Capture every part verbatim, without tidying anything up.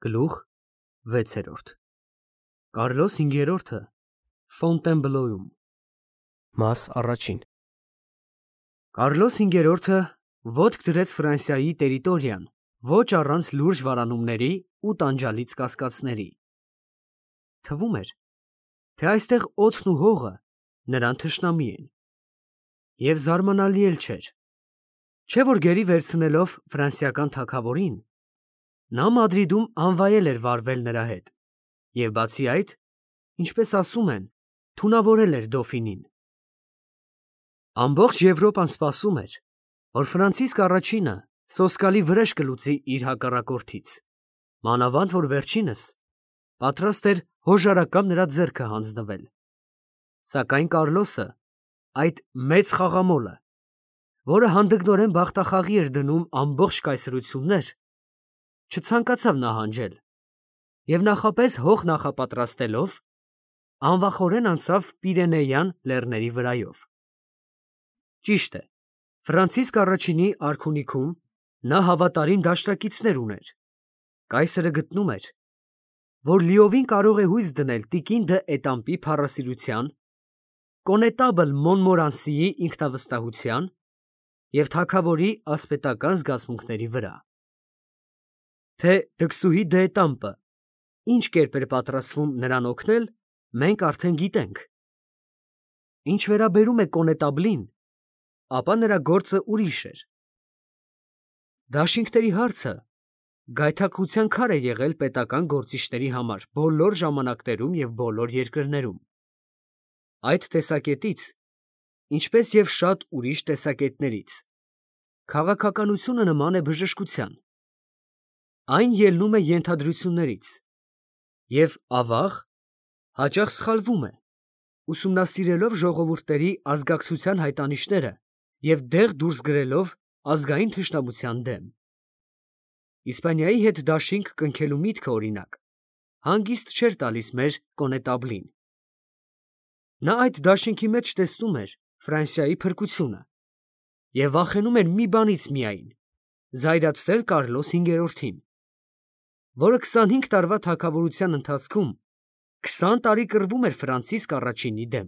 Գլուխ վեցերորդ Կարլոս հինգերորդը Ֆոնտենբլոյում Մաս առաջին Կարլոս հինգերորդը ոտք դրեց Ֆրանսիայի տերիտորիան, ոչ առանց լուրջ վարանումների ու տանջալից կասկածների։ Թվում էր, թե այստեղ օդն ու հողը նրան թշնամի են։ Եվ զարմանալի էլ չէր, չէ որ գերի վերցնելով ֆրանսիական թագավորին, նա Մադրիդում անվայել էր վարվել նրա հետ, և բացի այդ, ինչպես ասում են, թունավորել էր դոֆինին։ Ամբողջ Եվրոպան սպասում էր, որ Ֆրանցիսկ առաջինը սոսկալի վրեժ կլուծի իր հակառակորդից, մանավանդ որ վերջինս պատրաստ էր հոժարակամ նրա ձեռքը հանձնվել։ Սակայն Կարլոսը, այդ մեծ խաղամոլը, որը հանդգնորեն բախտախաղի էր դնում ամբողջ կայսրություններ, չցանկացավ նահանջել և նախապես հող նախապատրաստելով, անվախորեն անցավ Պիրենեյան լեռների վրայով։ Ճիշտ է, Ֆրանցիսկ առաջինի արքունիքում նա հավատարիմ դաշնակիցներ ուներ։ Կայսրը գտնում էր, որ լիովին կարող է հույս դնել տիկին դը Էտամպի փառասիրության, կոնետաբլ Մոնմորանսիի ինքնավստահության և թագավորի ասպետական զգացմունքների վրա։ Թե դքսուհի դը Էտամպը ինչ կերպ էր պատրաստվում նրան օգնել, մենք արդեն գիտենք։ Ինչ վերաբերում է կոնետաբլին, ապա նրա գործը ուրիշ էր։ Դաշինքների հարցը գայթակղության քար է եղել պետական գործիչների համար բոլոր ժամանակներում և բոլոր երկրներում։ Այդ տեսակետից, ինչպես և շատ ուրիշ տեսակետներից, քաղաքականությունը նման է բժշկության։ Այն ելնում է ենթադրություններից և, ավաղ, հաճախ սխալվում է, ուսումնասիրելով ժողովուրդների ազգակցության հայտանիշները և դեղ դուրս գրելով ազգային թշնամության դեմ։ Իսպանիայի հետ դաշինք կնքելու միտքը, օրինակ, հանգիստ չէր տալիս մեր կոնետաբլին։ Նա այդ դաշինքի մեջ տեսնում էր Ֆրանսիայի փրկությունը և վախենում էր մի բանից միայն՝ զայրացնել Կարլոս հինգերորդին, որը քսանհինգ տարվա թագավորության ընթացքում քսան տարի կռվում էր Ֆրանցիսկ առաջինի դեմ։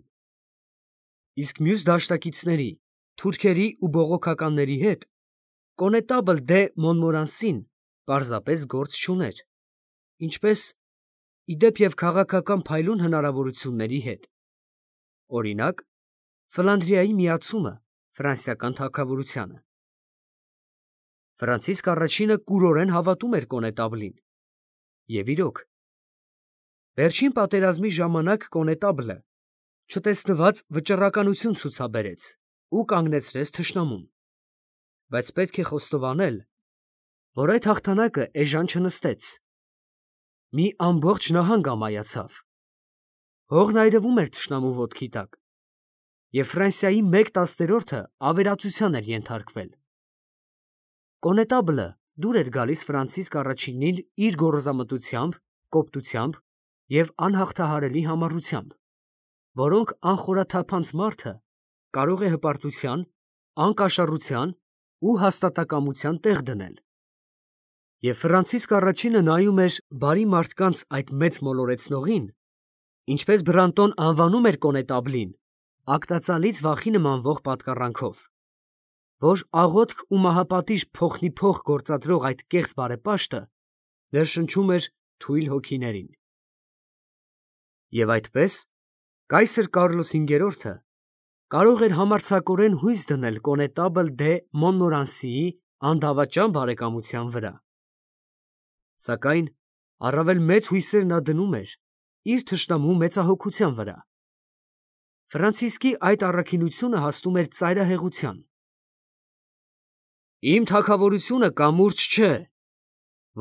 Իսկ մյուս դաշնակիցների, թուրքերի ու բողոքականների հետ կոնետաբլ դե Մոնմորանսին պարզապես գործ չուներ, ինչպես, ի դեպ և քաղաքական փայլուն հնարավորությունների հետ, օրինակ, Ֆլանդրիայի միացումը ֆրանսիական թագավորությանը։ Ֆրանցիսկ առաջինը կուրորեն հավատում էր կոնետաբլին, և իրոք, վերջին պատերազմի ժամանակ կոնետաբլը չտեսնված վճռականություն ցուցաբերեց ու կանգնեցրեց թշնամուն, բայց պետք է խոստովանել, որ այդ հաղթանակը էժան չնստեց։ Մի ամբողջ նահանգ ամայացավ, հողն այրվում էր թշնամու ոտքի տակ, և Ֆրանսիայի մեկ տասներորդը ավերածության էր ենթարկվել։ Կոնետաբլը դուր էր գալիս Ֆրանցիսկ առաջինին իր գոռոզամտությամբ, կոպտությամբ և անհաղթահարելի համառությամբ, որոնք անխորաթափանց մարդը կարող է հպարտության, անկաշառության ու հաստատակամության տեղ դնել։ Եվ Ֆրանցիսկ առաջինը նայում էր բարի մարդկանց այդ մեծ մոլորեցնողին, ինչպես Բրանտոն անվանում էր կոնետաբլին, ագտածալից վախի նմանվող պատկառանքով, որ աղոթք ու մահապատիժ փոխնի փոխ գործադրող այդ կեղծ բարեպաշտը ներշնչում էր թույլ հոգիներին։ Եվ այդպես, կայսր Կարլոս հինգերորդը կարող էր համարձակորեն հույս դնել կոնետաբլ դե Մոնմորանսիի անդավաճան բարեկամության վրա։ Սակայն առավել մեծ հույսեր նա դնում էր իր թշնամու մեծահոգության վրա։ Ֆրանցիսկի այդ առաքինությունը հասնում էր ծայրահեղության։ «Իմ թագավորությունը կամուրջ չէ,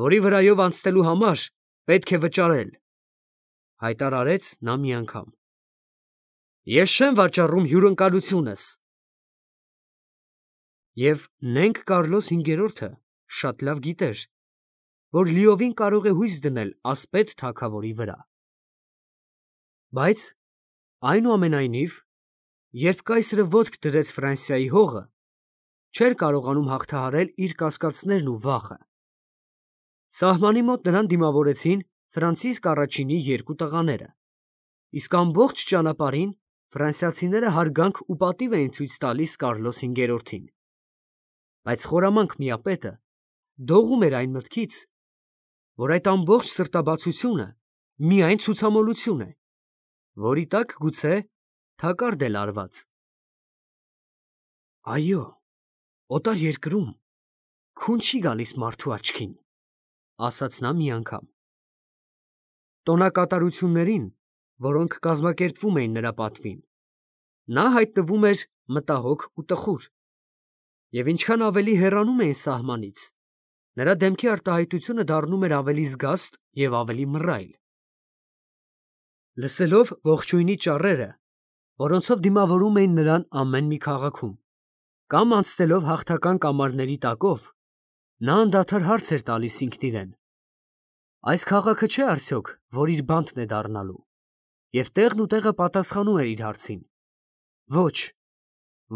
որի վրայով անցնելու համար պետք է վճարել», հայտարարեց նա մի անգամ։ «Ես չեմ վաճառում հյուրընկալությունս»։ Եվ նենք Կարլոս հինգերորդը շատ լավ գիտեր, որ լիովին կարող է հույս դնել ասպետ թագավորի վրա։ Բայց, այնուամենայնիվ, երբ կայսրը ոտք դրեց Ֆրանսիայի հողը, չէր կարողանում հաղթահարել իր կասկածներն ու վախը։ Սահմանի մոտ նրան դիմավորեցին Ֆրանցիսկ առաջինի երկու տղաները, իսկ ամբողջ ճանապարհին ֆրանսիացիները հարգանք ու պատիվ էին ցույց տալիս Կարլոս հինգերորդին, բայց խորամանկ միապետը դողում էր այն մտքից, որ այդ ամբողջ սրտաբացությունը միայն ցուցամոլություն է, որի տակ գուցե թակարդ էլ արված։ Այո, օտար երկրում քուն չի գալիս մարդու աչքին, ասաց նա մի անգամ։ Տոնակատարություններին, որոնք կազմակերպվում էին նրա պատվին, նա հայտնվում էր մտահոգ ու տխուր, և ինչքան ավելի հեռանում էին սահմանից, նրա դեմքի արտահայտությունը դառնում էր ավելի զգաստ և ավելի մռայլ։ Լսելով ողջույնի ճառերը, որոնցով դիմավորում էին նրան ամեն մի քաղաքում, կամ անցնելով հաղթական կամարների տակով, նա անդադար հարց էր տալիս ինքն իրեն. այս քաղաքը չէ՞ արդյոք, որ իր բանտն է դառնալու, և տեղն ու տեղը պատասխանում էր իր հարցին. ոչ,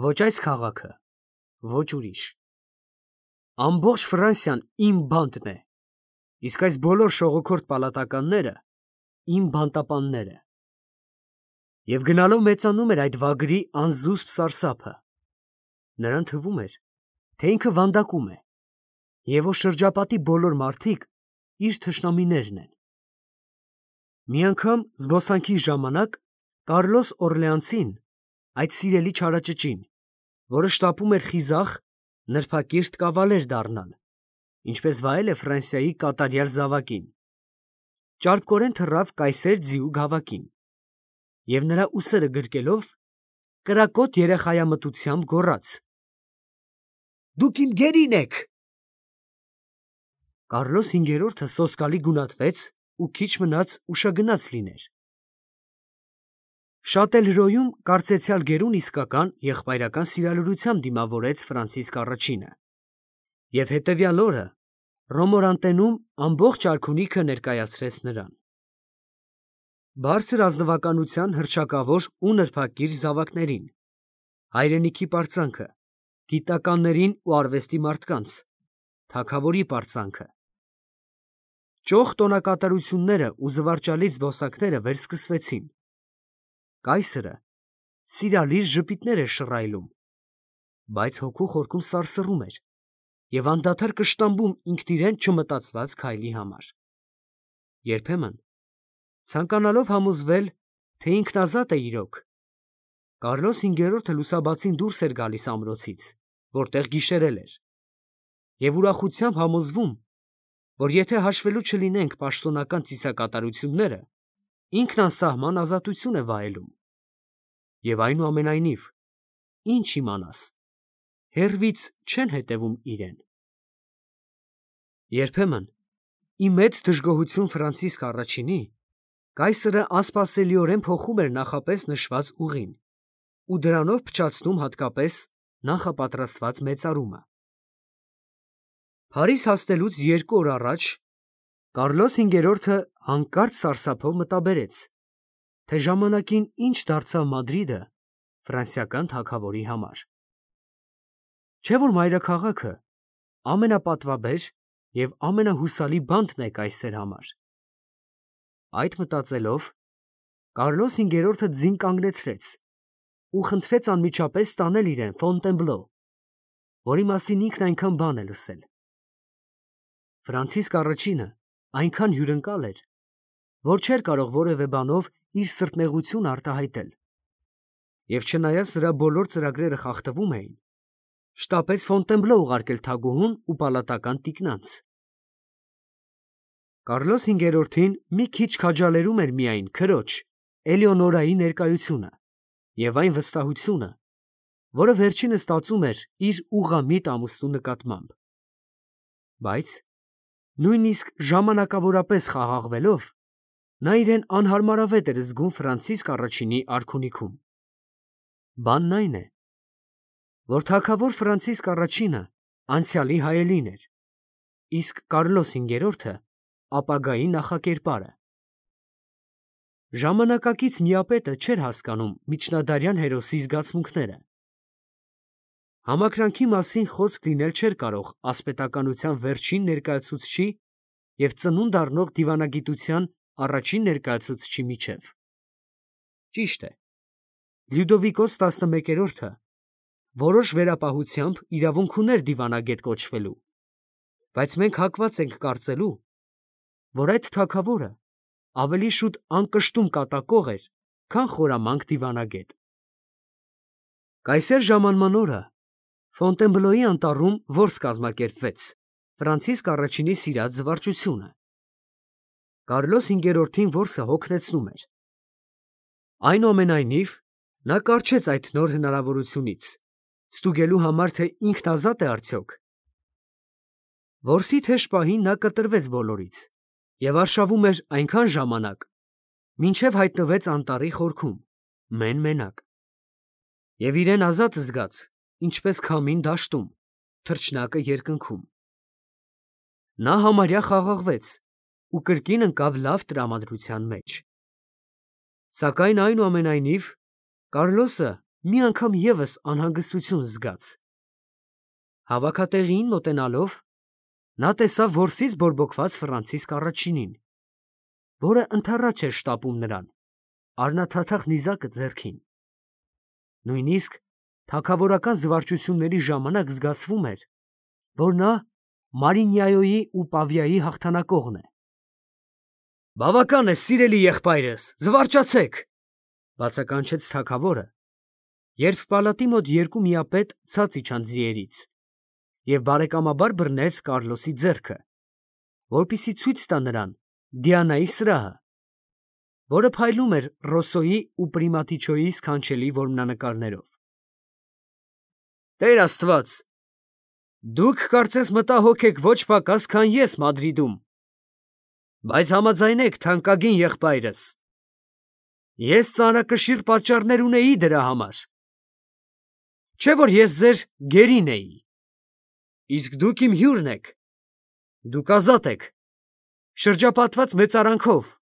ոչ այս քաղաքը, ոչ ուրիշ։ Ամբողջ Ֆրանսիան իմ բանտն է, իսկ այս բոլոր շողոքորթ պալատականները իմ բանտապանները։ Եվ գնալով մեծանում էր այդ վագրի անզուսպ սարսափը. նրան թվում էր, թե ինքը վանդակում է, և որ շրջապատի բոլոր մարդիկ իր թշնամիներն են։ Մի անգամ զբոսանքի ժամանակ Կարլոս Օրլեանցին, այդ սիրելի չարաճճին, որը շտապում էր խիզախ, նրբակիրթ կավալեր դառնալ, ինչպես վայել է Ֆրանսիայի կատարյալ զավակին, ճարպկորեն թռավ կայսեր ձիու գավակին, և նրա ուսերը գրկելով, կրակոտ երեխայամտությամբ գոռաց. «Դուք իմ գերին եք»։ Կարլոս հինգերորդը սոսկալի գունատվեց ու քիչ մնաց ուշագնաց լիներ։ Շատելհրոյում կարծեցյալ գերուն իսկական եղբայրական սիրալրությամբ դիմավորեց Ֆրանցիսկ առաջինը, և հետևյալ օրը Ռոմորանտենում ամբողջ արքունիքը ներկայացրեց նրան։ Բարձր ազնվականության հռչակավոր ու նրբակիր զավակներին, հայրենիքի պարծանքը, գիտականներին ու արվեստի մարդկանց, թագավորի պարծանքը։ Ճոխ տոնակատարությունները ու զվարճալի զբոսակները վերսկսվեցին։ Կայսրը սիրալիր ժպիտներ էր շռայլում, բայց հոգու խորքում սարսռում էր և անդադար կշտամբում ինքն իրեն չմտածված քայլի համար։ Երբեմն, ցանկանալով համոզվել, թե ինքն ազատ է իրոք, Կարլոս հինգերորդը լուսաբացին դուրս էր գալիս ամրոցից, որտեղ գիշերել էր, և ուրախությամբ համոզվում, որ եթե հաշվելու չլինենք պաշտոնական ծիսակատարությունները, ինքն անսահման ազատություն է վայելում։ Եվ այնուամենայնիվ, ինչ իմանաս, հեռվից չեն հետևում իրեն։ Երբեմն, ի մեծ դժգոհություն Ֆրանցիսկ առաջինի, կայսրը անսպասելիորեն փոխում էր նախապես նշված ուղին ու դրանով փչացնում հատկապես նախապատրաստված մեծարումը։ Փարիզ հասնելուց երկու օր առաջ Կարլոս հինգերորդը հանկարծ սարսափով մտաբերեց, թե ժամանակին ինչ դարձավ Մադրիդը ֆրանսիական թագավորի համար։ Չէ՞ որ մայրաքաղաքը ամենապատվաբեր և ամենահուսալի բանտն է կայսեր համար։ Այդ մտածելով, Կարլոս հինգերորդը ձին կանգնեցրեց ու խնդրեց անմիջապես տանել իրեն Ֆոնտենբլո, որի մասին ինքն այնքան բան է լսել։ Ֆրանցիսկ առաջինը այնքան հյուրընկալ էր, որ չէր կարող որևէ բանով իր սրտնեղությունը արտահայտել, և չնայած նրա բոլոր ծրագրերը խախտվում էին, շտապեց Ֆոնտենբլո ուղարկել թագուհուն ու պալատական տիկնանց։ Կարլոս հինգերորդին մի քիչ քաջալերում էր միայն քրոջ Էլեոնորայի ներկայությունը և այն վստահությունը, որը վերջինս ստացում էր իր ուղղամիտ ամուսնու նկատմամբ։ Բայց նույնիսկ ժամանակավորապես խաղաղվելով, նա իրեն անհարմարավետ էր զգում Ֆրանցիսկ առաջինի արքունիքում։ Բանն այն է, որ թագավոր Ֆրանցիսկ առաջինը անցյալի հայելին էր, իսկ Կարլոս հինգերորդը ապագայի նախակերպարը։ Ժամանակակից միապետը չէր հասկանում միջնադարյան հերոսի զգացմունքները։ Համակրանքի մասին խոսք լինել չէր կարող ասպետականության վերջին ներկայացուցչի և ծնունդ առնող դիվանագիտության առաջին ներկայացուցչի միջև։ Ճիշտ է, Լյուդովիկոս տասնմեկերորդը որոշ վերապահությամբ իրավունք ուներ դիվանագետ կոչվելու, բայց մենք հակված ենք կարծելու, որ այդ թագավորը ավելի շուտ անկշտում կատակող էր, քան խորամանկ դիվանագետ։ Կայսեր ժամանման օրը Ֆոնտենբլոյի անտառում որս կազմակերպվեց Ֆրանցիսկ առաջինի սիրած զվարճությունը։ Կարլոս հինգերորդին որսը հոգնեցնում էր։ Այնուամենայնիվ, նա կառչեց այդ նոր հնարավորությունից, ստուգելու համար, թե ինքն ազատ է արդյոք։ Որսի թեժ պահին նա կտրվեց բոլորից և արշավում էր այնքան ժամանակ, մինչև հայտնվեց անտառի խորքում, մեն֊մենակ։ Եվ իրեն ազատ զգաց, ինչպես քամին դաշտում, թռչնակը երկնքում։ Նա համարյա խաղաղվեց ու կրկին ընկավ լավ տրամադրության մեջ։ Սակայն այնուամենայնիվ Կարլոսը մի անգամ ևս անհանգստություն զգաց։ Հավաքատեղիին մոտենալով, նա տեսավ որսից բորբոքված Ֆրանցիսկ առաջինին, որը ընդառաջ էր շտապում նրան, առնաթաթախ նիզակը ձեռքին։ Նույնիսկ թագավորական զվարճությունների ժամանակ զգացվում էր, որ նա Մարինյայոյի ու Պավիայի հաղթանակողն է։ «Բավական է, սիրելի եղբայրս, զվարճացեք», բացականչեց թագավորը, երբ պալատի մոտ երկու միապետ ցած իջան ձիերից և բարեկամաբար բռնեց Կարլոսի ձեռքը, որպեսզի ցույց տա նրան Դիանայի սրահը, որը փայլում էր Ռոսոյի ու Պրիմատիչոյի սքանչելի որմնանկարներով։ «Տեր Աստված, դուք կարծես մտահոգ եք ոչ պակաս, քան ես Մադրիդում, բայց համաձայնեք, թանկագին եղբայրս, ես ծանրակշիռ պատճառներ ունեի դրա համար։ Չէ՞ որ ես ձեր գերին էի, իսկ դուք իմ հյուրն եք, դուք ազատ եք, շրջապատված մեծարանքով,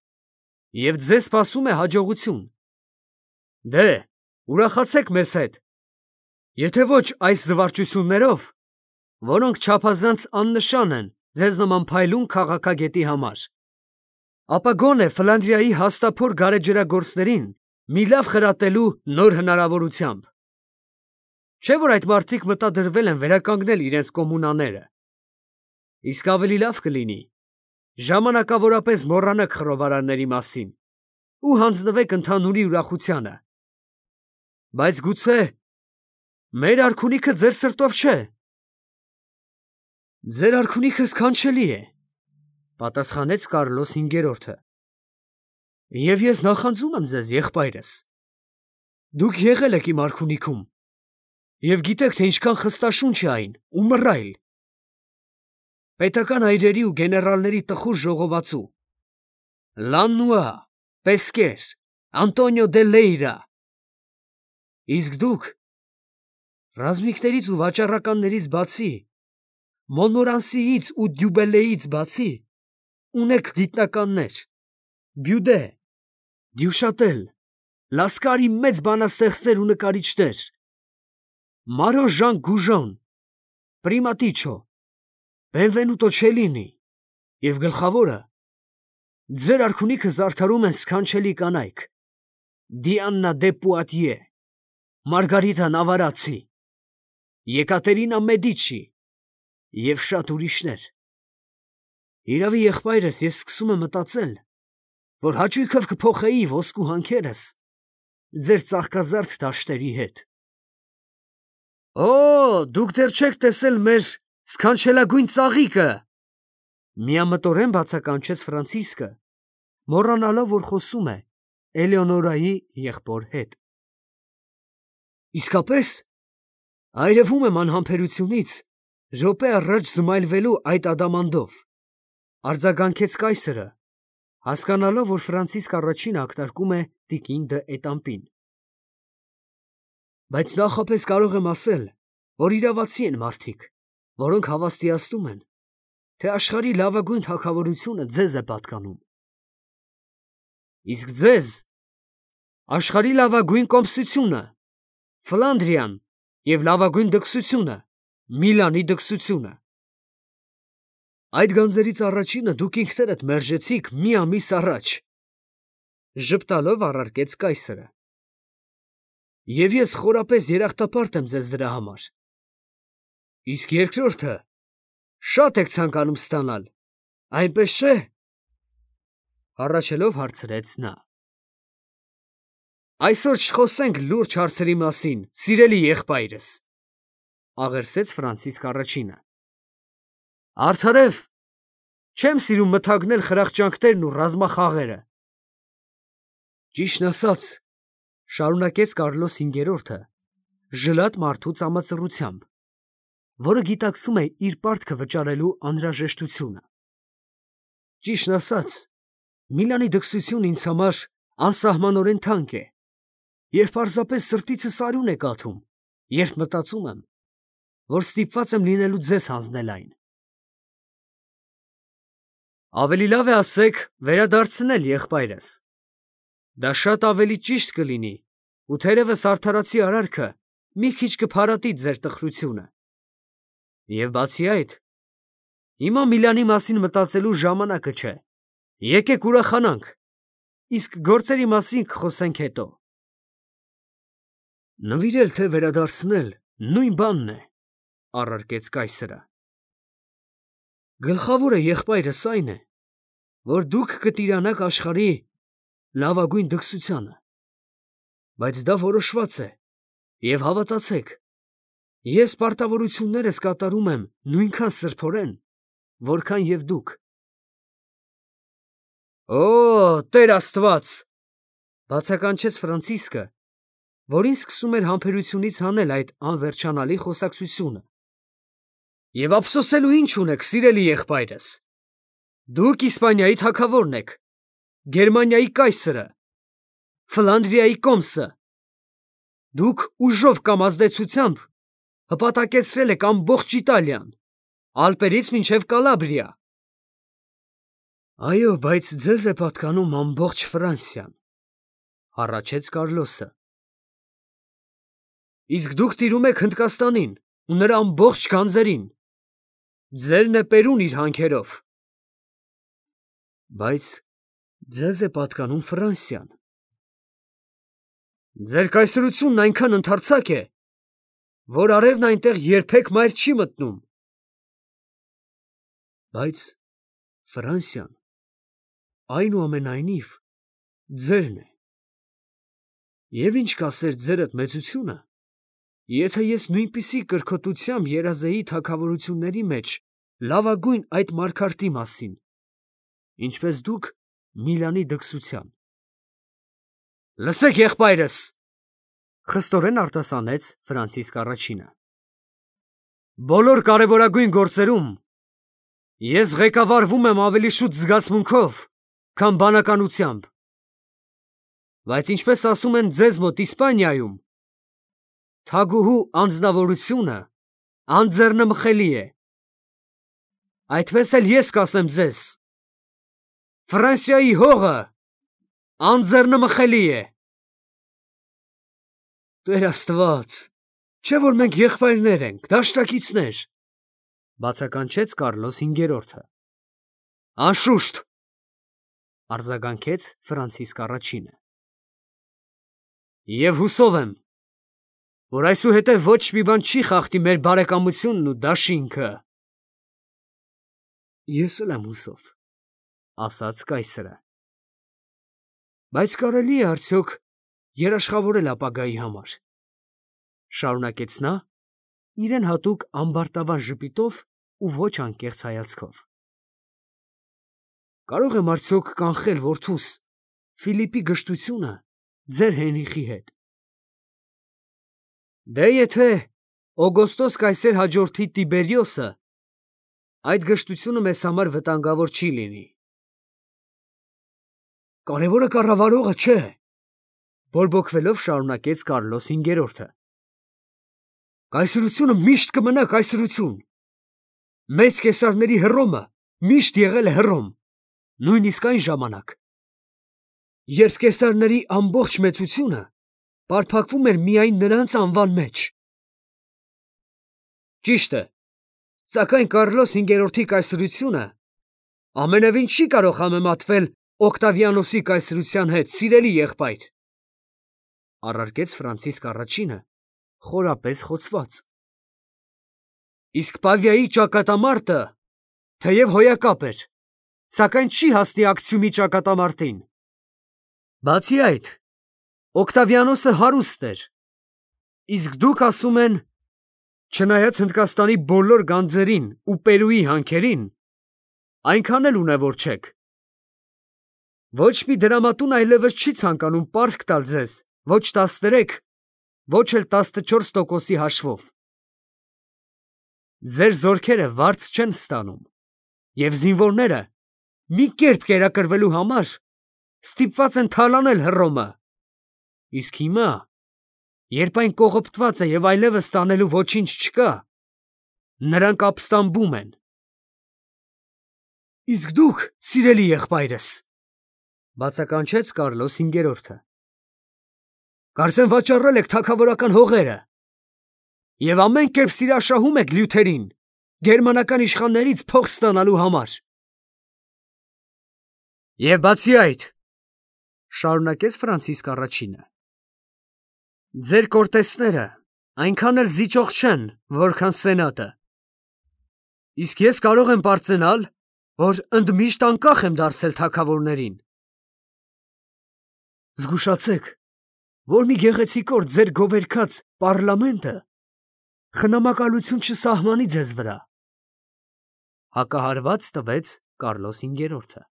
և ձեզ սպասում է հաջողություն։ Դե, ուրախացեք մեզ հետ, եթե ոչ այս զվարճություններով, որոնք չափազանց աննշան են ձեզ նման փայլուն քաղաքագետի համար, ապա գոնե Ֆլանդրիայի հաստափոր գարեջրագործներին մի լավ խրատելու նոր հնարավորությամբ։ Չէ՞ որ այդ մարդիկ մտադրվել են վերականգնել իրենց կոմունաները, իսկ ավելի լավ կլինի ժամանակավորապես մոռանաք խռովարարների մասին ու հանձնվեք ընդհանուրի ուրախությանը։ Բայց գուցե մեր արքունիքը ձեր սրտով չէ։ Ձեր արքունիքը սքանչելի է, պատասխանեց Կարլոս հինգերորդը, և ես նախանձում եմ ձեզ, եղբայրս, դուք եղել եք իմ արքունիքում և գիտեք, թե ինչքան խստաշունչ է այն ու մռայլ։ Պետական այրերի ու գեներալների տխուր ժողովածու, Լաննուա, Պեսկեր, Անտոնիո դե Լեյրա։ Իսկ դուք, ռազմիկներից ու վաճառականներից բացի, Մոնմորանսիից ու Դյուբելեից բացի, ունեք գիտնականներ, Բյուդե, Դյուշատել, Լասկարի մեծ բանաստեղծներ ու նկարիչներ, Մարո Ժան Գուժոն, Պրիմատիչո, Բենվենուտո Չելինի և գլխավորը, ձեր արքունիքը զարդարում են սքանչելի կանայք, Դիաննա դե Պուատիե, Մարգարիտա Նավարացի, Եկատերինա Մեդիչի և շատ ուրիշներ։ Իրավի, եղբայրս, ես սկսում եմ մտածել, որ հաճույքով կփոխեի ոսկու հանքերս ձեր ծաղկազարդ դաշտերի հետ։ Օ, դուք դեռ չեք տեսել մեր սքանչելագույն ծաղիկը, միամտորեն բացականչեց Ֆրանցիսկը, մոռանալով, որ խոսում է Էլեոնորայի եղբոր հետ։ Իսկապես, այրվում եմ անհամբերությունից րոպե առաջ զմայլվելու այդ ադամանդով, արձագանքեց կայսրը, հասկանալով, որ Ֆրանցիսկ առաջինը ակնարկում է տիկին դը Էտամպին։ Բայց նախապես կարող եմ ասել, որ իրավացի են մարդիկ, որոնք հավաստիացնում են, թե աշխարհի լավագույն թագավորությունը ձեզ է պատկանում։ Իսկ ձեզ աշխարհի լավագույն կոմսությունը, Ֆլանդրիան և լավագույն դքսությունը, Միլանի դքսությունը։ Այդ գանձերից առաջինը դուք ինքներդ մերժեցիք մի ամիս առաջ, ժպտալով առարկեց կայսրը։ Եվ ես խորապես երախտապարտ եմ ձեզ դրա համար։ Իսկ երկրորդը շատ եք ցանկանում ստանալ, այնպես չէ՞։ Հառաչելով հարցրեց նա։ Այսօր չխոսենք լուրջ հարցերի մասին, սիրելի եղբայրս, աղերսեց Ֆրանցիսկ առաջինը։ Արդարև, չեմ սիրում մթագնել խրախճանքներն ու ռազմախաղերը։ Ճիշտն ասած, շարունակեց Կարլոս հինգերորդը, ժլատ մարդու ծամածռությամբ, որը գիտակցում է իր պարտքը վճարելու անհրաժեշտությունը։ Ճիշտն ասած, Միլանի դքսությունն ինձ համար անսահմանորեն թանկ է, և պարզապես սրտիցս արյուն է կաթում, երբ մտածում եմ, որ ստիպված եմ լինելու ձեզ հանձնել այն։ Ավելի լավ է ասեք վերադարձնել, եղբայրս։ Դա շատ ավելի ճիշտ կլինի, ու թերևս արդարացի արարքը մի քիչ կփարատի ձեր տխրությունը։ Եվ բացի այդ, հիմա Միլանի մասին մտածելու ժամանակը չէ։ Եկեք ուրախանանք, իսկ գործերի մասին կխոսենք հետո։ Նվիրել թե վերադարձնել նույն բանն է, առարկեց կայսրը։ Գլխավորը, եղբայրս, այն է, որ դուք կտիրանաք աշխարհի լավագույն դքսությանը, բայց դա որոշված է, և հավատացեք, ես պարտավորություններս կատարում եմ նույնքան սրբորեն, որքան և դուք։ Օ, Տեր Աստված, բացականչեց Ֆրանցիսկը, որին սկսում էր համբերությունից հանել այդ անվերջանալի խոսակցությունը։ Եվ ափսոսելու ինչ ունեք, սիրելի եղբայրս։ Դուք Իսպանիայի թագավորն եք, Գերմանիայի կայսրը, Ֆլանդրիայի կոմսը։ Դուք ուժով կամ ազդեցությամբ հպատակեցրել եք ամբողջ Իտալիան, Ալպերից մինչև Կալաբրիա։ Այո, բայց ձեզ է պատկանում ամբողջ Ֆրանսիան, հառաչեց Կարլոսը։ Իսկ դուք տիրում եք Հնդկաստանին ու նրա ամբողջ գանձերին։ Ձերն է Պերուն իր հանքերով։ Բայց ձեզ է պատկանում Ֆրանսիան։ Ձեր կայսրությունն այնքան ընդարձակ է, որ արևն այնտեղ երբեք մայր չի մտնում։ Բայց Ֆրանսիան այնուամենայնիվ ձերն է։ Եվ ինչ կասեր ձերդ մեծությունը, եթե ես նույնպիսի կրքոտությամբ երազեի թագավորությունների մեջ լավագույն այդ մարգարտի մասին, ինչպես դուք Միլանի դքսության։ Լսեք, եղբայրս, խստորեն արտասանեց Ֆրանցիսկ առաջինը։ Բոլոր կարևորագույն գործերում ես ղեկավարվում եմ ավելի շուտ զգացմունքով, քան բանականությամբ։ Բայց ինչպես ասում են ձեզ մոտ Իսպանիայում, թագուհու անձնավորությունը անձեռնմխելի է։ Այդպես էլ ես կասեմ ձեզ. Ֆրանսիայի հողը անձեռնմխելի է։ Տեր Աստված, չէ՞ որ մենք եղբայրներ ենք, դաշնակիցներ, բացականչեց Կարլոս հինգերորդը։ Անշուշտ, արձագանքեց Ֆրանցիսկ առաջինը։ Եվ հուսով եմ, որ այսուհետև ոչ մի բան չի խախտի մեր բարեկամությունն ու դաշինքը։ Ես էլ եմ հուսով, ասաց կայսրը։ Բայց կարելի է արդյոք երաշխավորել ապագայի համար, շարունակեց նա, իրեն հատուկ ամբարտավան ժպիտով ու ոչ անկեղծ հայացքով։ Կարող եմ արդյոք կանխել որդուս Ֆիլիպի գժտությունը ձեր Հենրիխի հետ։ Դե եթե Օգոստոս կայսեր հաջորդի Տիբերիոսը, այդ գժտությունը մեզ համար վտանգավոր չի լինի։ Կարևորը կառավարողը չէ, բորբոքվելով շարունակեց Կարլոս հինգերորդը։ Կայսրությունը միշտ կմնա կայսրություն։ Մեծ կեսարների Հռոմը միշտ եղել է Հռոմ, նույնիսկ այն ժամանակ, երբ կեսարների ամբողջ մեծությունը պարփակվում էր միայն նրանց անվան մեջ։ Ճիշտ է, Սակայն Կարլոս հինգերորդի կայսրությունը ամենևին չի կարող համեմատվել Օկտավիանոսի կայսրության հետ, սիրելի եղբայր, առարկեց Ֆրանցիսկ առաջինը, խորապես խոցված։ Իսկ Պավիայի ճակատամարտը թեև հոյակապ էր, սակայն չի հասնի Ակցիումի ճակատամարտին։ Բացի այդ, Օկտավիանոսը հարուստ էր, իսկ դուք ասում են, չնայած Հնդկաստանի բոլոր գանձերին ու Պերուի հանքերին, այնքան էլ ունևոր չեք։ Ոչ մի դրամատուն այլևս չի ցանկանում պարտք տալ ձեզ, ոչ տասներեք, ոչ էլ տասնչորս տոկոսի հաշվով։ Ձեր զորքերը վարձ չեն ստանում, և զինվորները մի կերպ կերակրվելու համար ստիպված են թալանել Հռոմը։ Իսկ հիմա, երբ այն կողոպտված է և այլևս տանելու ոչինչ չկա, նրանք ապստամբում են։ Իսկ դուք, սիրելի եղբայրս, բացականչեց Կարլոս հինգերորդը, կարծեմ վաճառել եք թագավորական հողերը և ամեն կերպ սիրաշահում եք Լյութերին, գերմանական իշխաններից փող ստանալու համար։ Եվ բացի այդ, շարունակեց Ֆրանցիսկ առաջինը, ձեր կորտեսները այնքան էլ զիջող չեն, որքան սենատը։ Իսկ ես կարող եմ պարծենալ, որ ընդմիշտ անկախ եմ դարձել թագավորներին։ Զգուշացեք, որ մի գեղեցիկ օր ձեր գովերգած պառլամենտը խնամակալություն չսահմանի ձեզ վրա, հակահարված տվեց Կարլոս հինգերորդը։